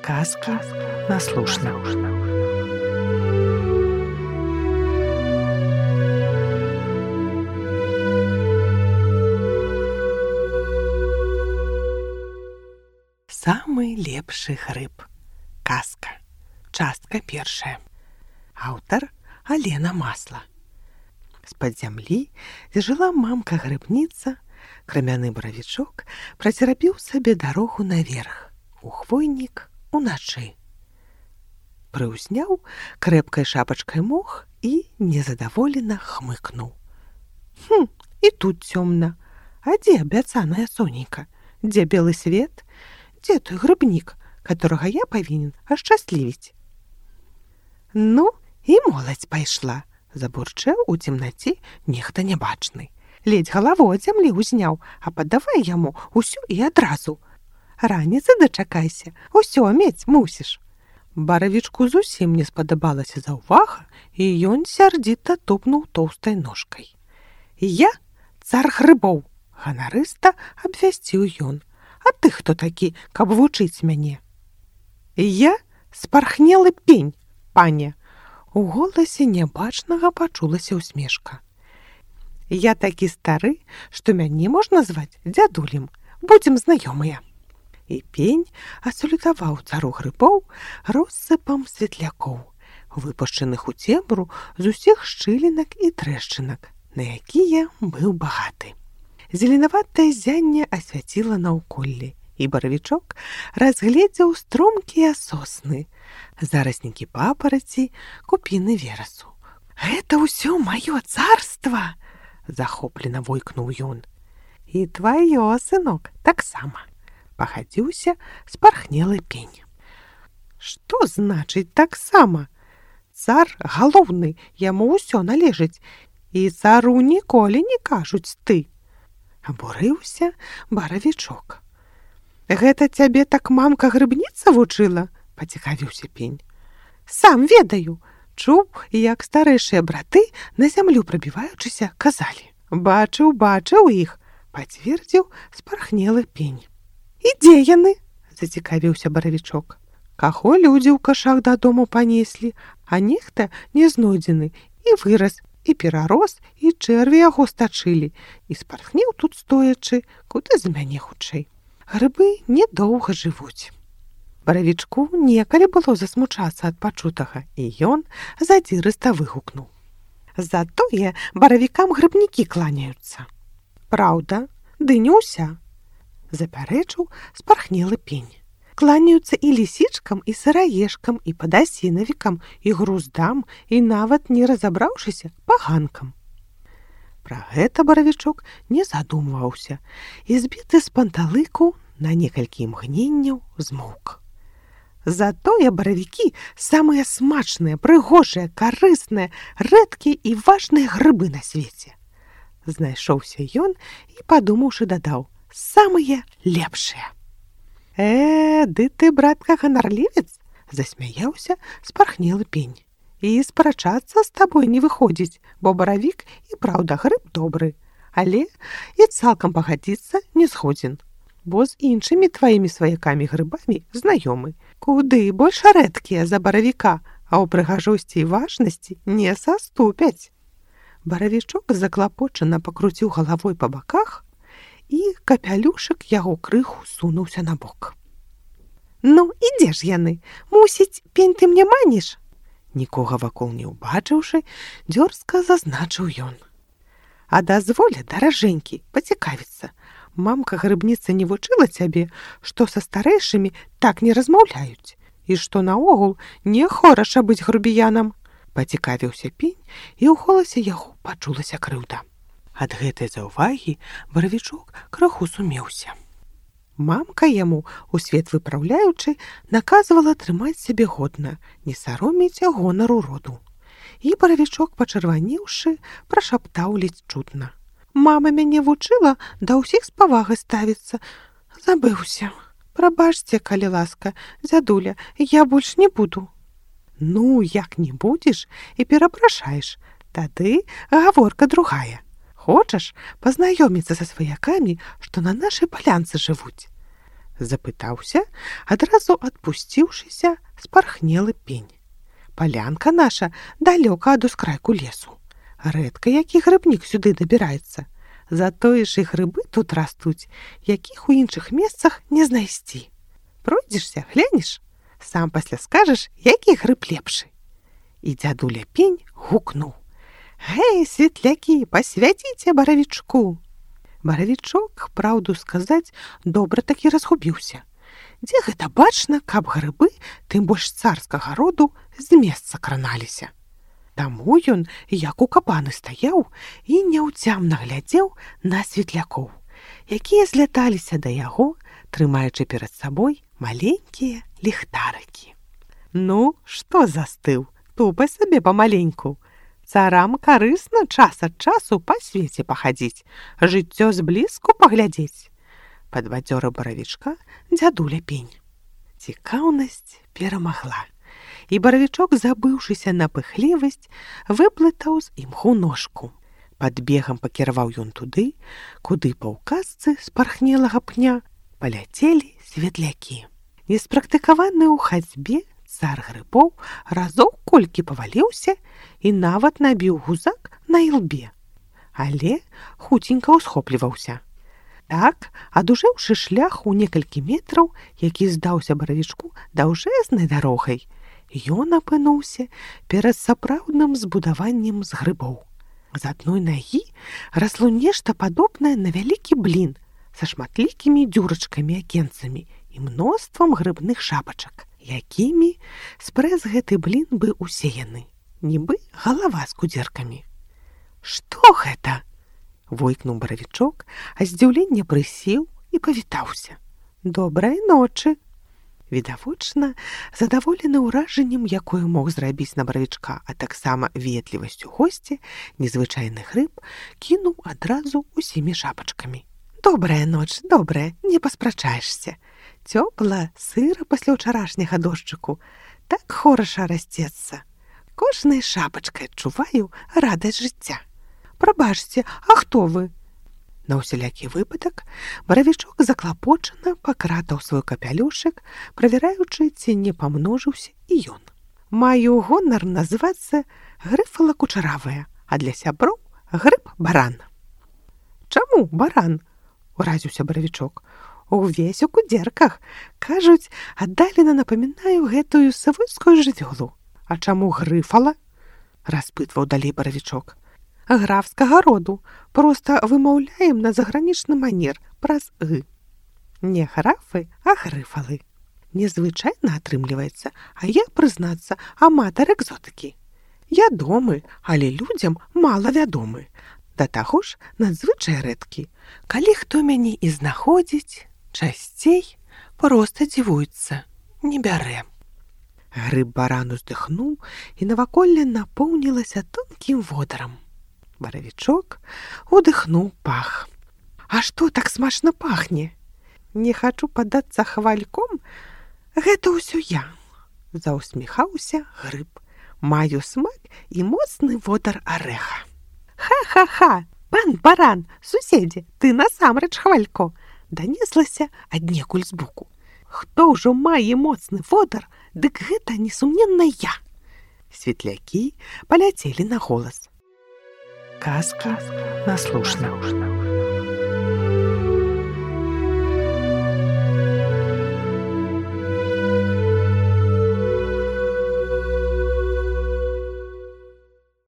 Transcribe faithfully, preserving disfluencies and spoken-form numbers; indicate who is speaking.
Speaker 1: Казка на слушна. Самы лепшы грыб. Казка. Частка першая. Аўтар Алена Масла. З-пад зямлі, дзе жыла мамка-грыбніца, крамяны баравічок працерапіў сабе дарогу наверх, у хвойнік уначы. Прыўзняў крэпкай шапачкай мох і незадаволена хмыкнуў. Хм, і тут цёмна. А дзе абяцаная сонейка? Дзе белы свет? Дзе той грыбнік, которага я павінен ашчаслівіць? Ну, і моладзь пайшла, забурчэў у цемнаце нехта нябачны. Ледзь галаву ад зямлі ўзняў, а падавай яму усё і адразу. Раніцы дачакайся, усё мець мусіш. Баравічку зусім не спадабалася заўвага, і ён сярдзіта тупнуў тоўстай ножкай. Я цар грыбоў, ганарыста абвясціў ён. А ты хто такі, каб вучыць мяне? Я спархнелы пень, пане. У голасе нябачнага пачулася ўсмешка. Я такі стары, што мяне можна зваць дзядулем. Будзем знаёмыя. І пень асалютаваў цару грыбоў россыпам светлякоў, выпушчаных у цемру з усіх шчылінак і трэшчынак, на якія быў багаты. Зеленаватае зянне асвяціла наўколлі, і баравічок разгледзеў стромкія сосны, зараснікі папараці, купіны верасу. Гэта ўсё маё царства! Захоплена войкнуў ён. І тваё, сынок, таксама. Пахадзіўся спархнелы пень. Што значыць таксама? Цар галоўны, яму ўсё належыць, і цару ніколі не кажуць ты. Абурыўся баравічок. Гэта цябе так мамка-грыбніца вучыла? Пацікавіўся пень. Сам ведаю. Чуў, як старэйшыя браты, на зямлю прабіваючыся, казалі. Бачыў, бачыў іх, пацвердзіў спархнелы пень. І дзе яны? Зацікавіўся баравічок. Каго людзі ў кашах дадому панеслі, а нехта не знойдзены, і вырас, і перарос, і чэрві яго стачылі, і спархнеў тут стоячы, куды за мяне хутчэй. Грыбы недоўга жывуць. Баравічку некалі было засмучацца ад пачутага, і ён задзірыста выгукнуў. Затое баравікам грыбнікі кланяюцца. Праўда, ды не ўся. Запярэчыў спархнелы пень. Кланяюцца і лісічкам, і сыраежкам, і падасінавікам, і груздам, і нават не разабраўшыся паганкам. Пра гэта баравічок не задумваўся, і збіты з панталыку на некалькі імгненняў змоўк. Затое баравікі самыя смачныя, прыгожыя, карысныя, рэдкія і важныя грыбы на свеце. Знайшоўся ён і, падумаўшы, дадаў: самыя лепшыя. Э, ды ты, братка, ганарлівец, засмяяўся спархнелы пень. І спрачацца з табой не выходзіць, бо баравік і праўда грыб добры, але і цалкам пагадзіцца не згодзін, бо з іншымі тваімі сваякамі грыбамі знаёмы, куды больш рэдкія за баравіка, а ў прыгажосці і важнасці не саступяць. Баравічок заклапочана пакруціў галавой па баках, і капялюшак яго крыху сунуўся на бок. Ну, і дзе ж яны? Мусіць, пень ты мне маніш? Нікога вакол не ўбачыўшы, дзёрзка зазначыў ён. А дазволі, даражэнькі, пацікавіцца. Мамка-грыбніца не вучыла цябе, што са старэйшымі так не размаўляюць, і што наогул не хораша быць грубіянам. Пацікавіўся пень, і ў голасе яго пачулася крыўда. Ад гэтай заўвагі баравічок крыху сумеўся. Мамка яму, у свет выпраўляючы, наказвала трымаць сябе годна, не саромець гонару роду. І баравічок, пачырванеўшы, прашаптаў ледзь чутна. Мама мяне вучыла да ўсіх з павагай ставіцца. Забыўся. Прабачце, калі ласка, дзядуля, я больш не буду. Ну, як не будзеш і перапрашаеш, тады гаворка другая. Хочаш пазнаёміцца са сваякамі, што на нашай палянцы жывуць? Запытаўся, адразу адпусціўшыся, спархнелы пень. Палянка наша далёка ад ускрайку лесу. Рэдка які грыбнік сюды дабіраецца. Затое ж і грыбы тут растуць, якіх у іншых месцах не знайсці. Пройдзешся, глянеш, сам пасля скажаш, які грыб лепшы. І дзядуля пень гукнуў: «Гэй, светлякі, пасвяціце баравічку!» Баравічок, праўду сказаць, добра такі разгубіўся. Дзе гэта бачна, каб грыбы, тым больш царскага роду, з месца краналіся. Таму ён, як укапаны, стаяў і няўцямна глядзеў на светлякоў, якія зляталіся да яго, трымаючы перад сабой маленькія ліхтарыкі. «Ну, што застыў? Тупай сабе памаленьку. Царам карысна час ад часу па свеце пахадзіць, жыццё зблізку паглядзець», падбадзёрыў баравічка дзядуля пень. Цікаўнасць перамагла, і баравічок, забыўшыся на пыхлівасць, выплытаў з імху ножку. Пад бегам пакіраваў ён туды, куды па ўказцы спархнелага пня паляцелі светлякі. Неспрактыкаваны ў хадзьбе, цар грыбоў разоў колькі паваліўся і нават набіў гузак на ілбе, але хуценька ўсхопліваўся. Так, адужэўшы шлях у некалькі метраў, які здаўся баравічку даўжэзнай дарогай, ён апынуўся перад сапраўдным збудаваннем з грыбоў. З адной нагі расло нешта падобнае на вялікі блін са шматлікімі дзюрачкамі-акенцамі і мноствам грыбных шапачак, якімі спрэс гэты блін быў усеяны, нібы галава з кудзеркамі. «Што гэта?» — войкнуў баравічок, а здзіўленне прысеў і павітаўся. «Добрай ночы!» Відавочна, задаволены ўражаннем, якое мог зрабіць на баравічка, а таксама ветлівасцю госця, незвычайны грыб кінуў адразу усімі шапачкамі. «Добрая ноч, добрая, не паспрачаешся. Цёпла, сыра пасля ўчарашняга дождчыку. Так хораша расцецца. Кожнай шапачкай адчуваю радасць жыцця. Прабачце, а хто вы?» На ўсялякі выпадак баравічок заклапочана пакратаў свой капялюшык, правяраючы, ці не памножыўся і ён. «Маю гонар называцца Грыфала Кучаравая, а для сяброў грыб-баран». «Чаму баран?» — уразіўся баравічок. «Увесь у кудзерках. Кажуць, аддалена напамінаю гэтую савойскую жывёлу. А чаму Грыфала?» — распытваў далей баравічок. «Графскага роду. Проста вымаўляем на загранічны манер праз «ы». Не графы, а грыфалы. Незвычайна атрымліваецца, а я, прызнацца, аматар экзотыкі. Ядомы, але людзям мала вядомы. Да таго ж надзвычай рэдкі. Калі хто мяне і знаходзіць, часцей проста дзівуецца, не бярэ». Грыб-баран уздыхнуў, і наваколле напоўнілася тонкім водарам. Баравічок удыхнуў пах. «А што так смачна пахне? Не хачу падацца хвальком, гэта ўсё я», — заўсміхаўся грыб. «Маю смак і моцны водар арэха». «Ха-ха-ха! Пан баран, суседзе, ты насамрэч хвалько!» — данеслася аднекуль збоку. «Хто ўжо мае моцны водар, дык гэта несумненна я!» Светлякі паляцелі на голас. Казка наслушна.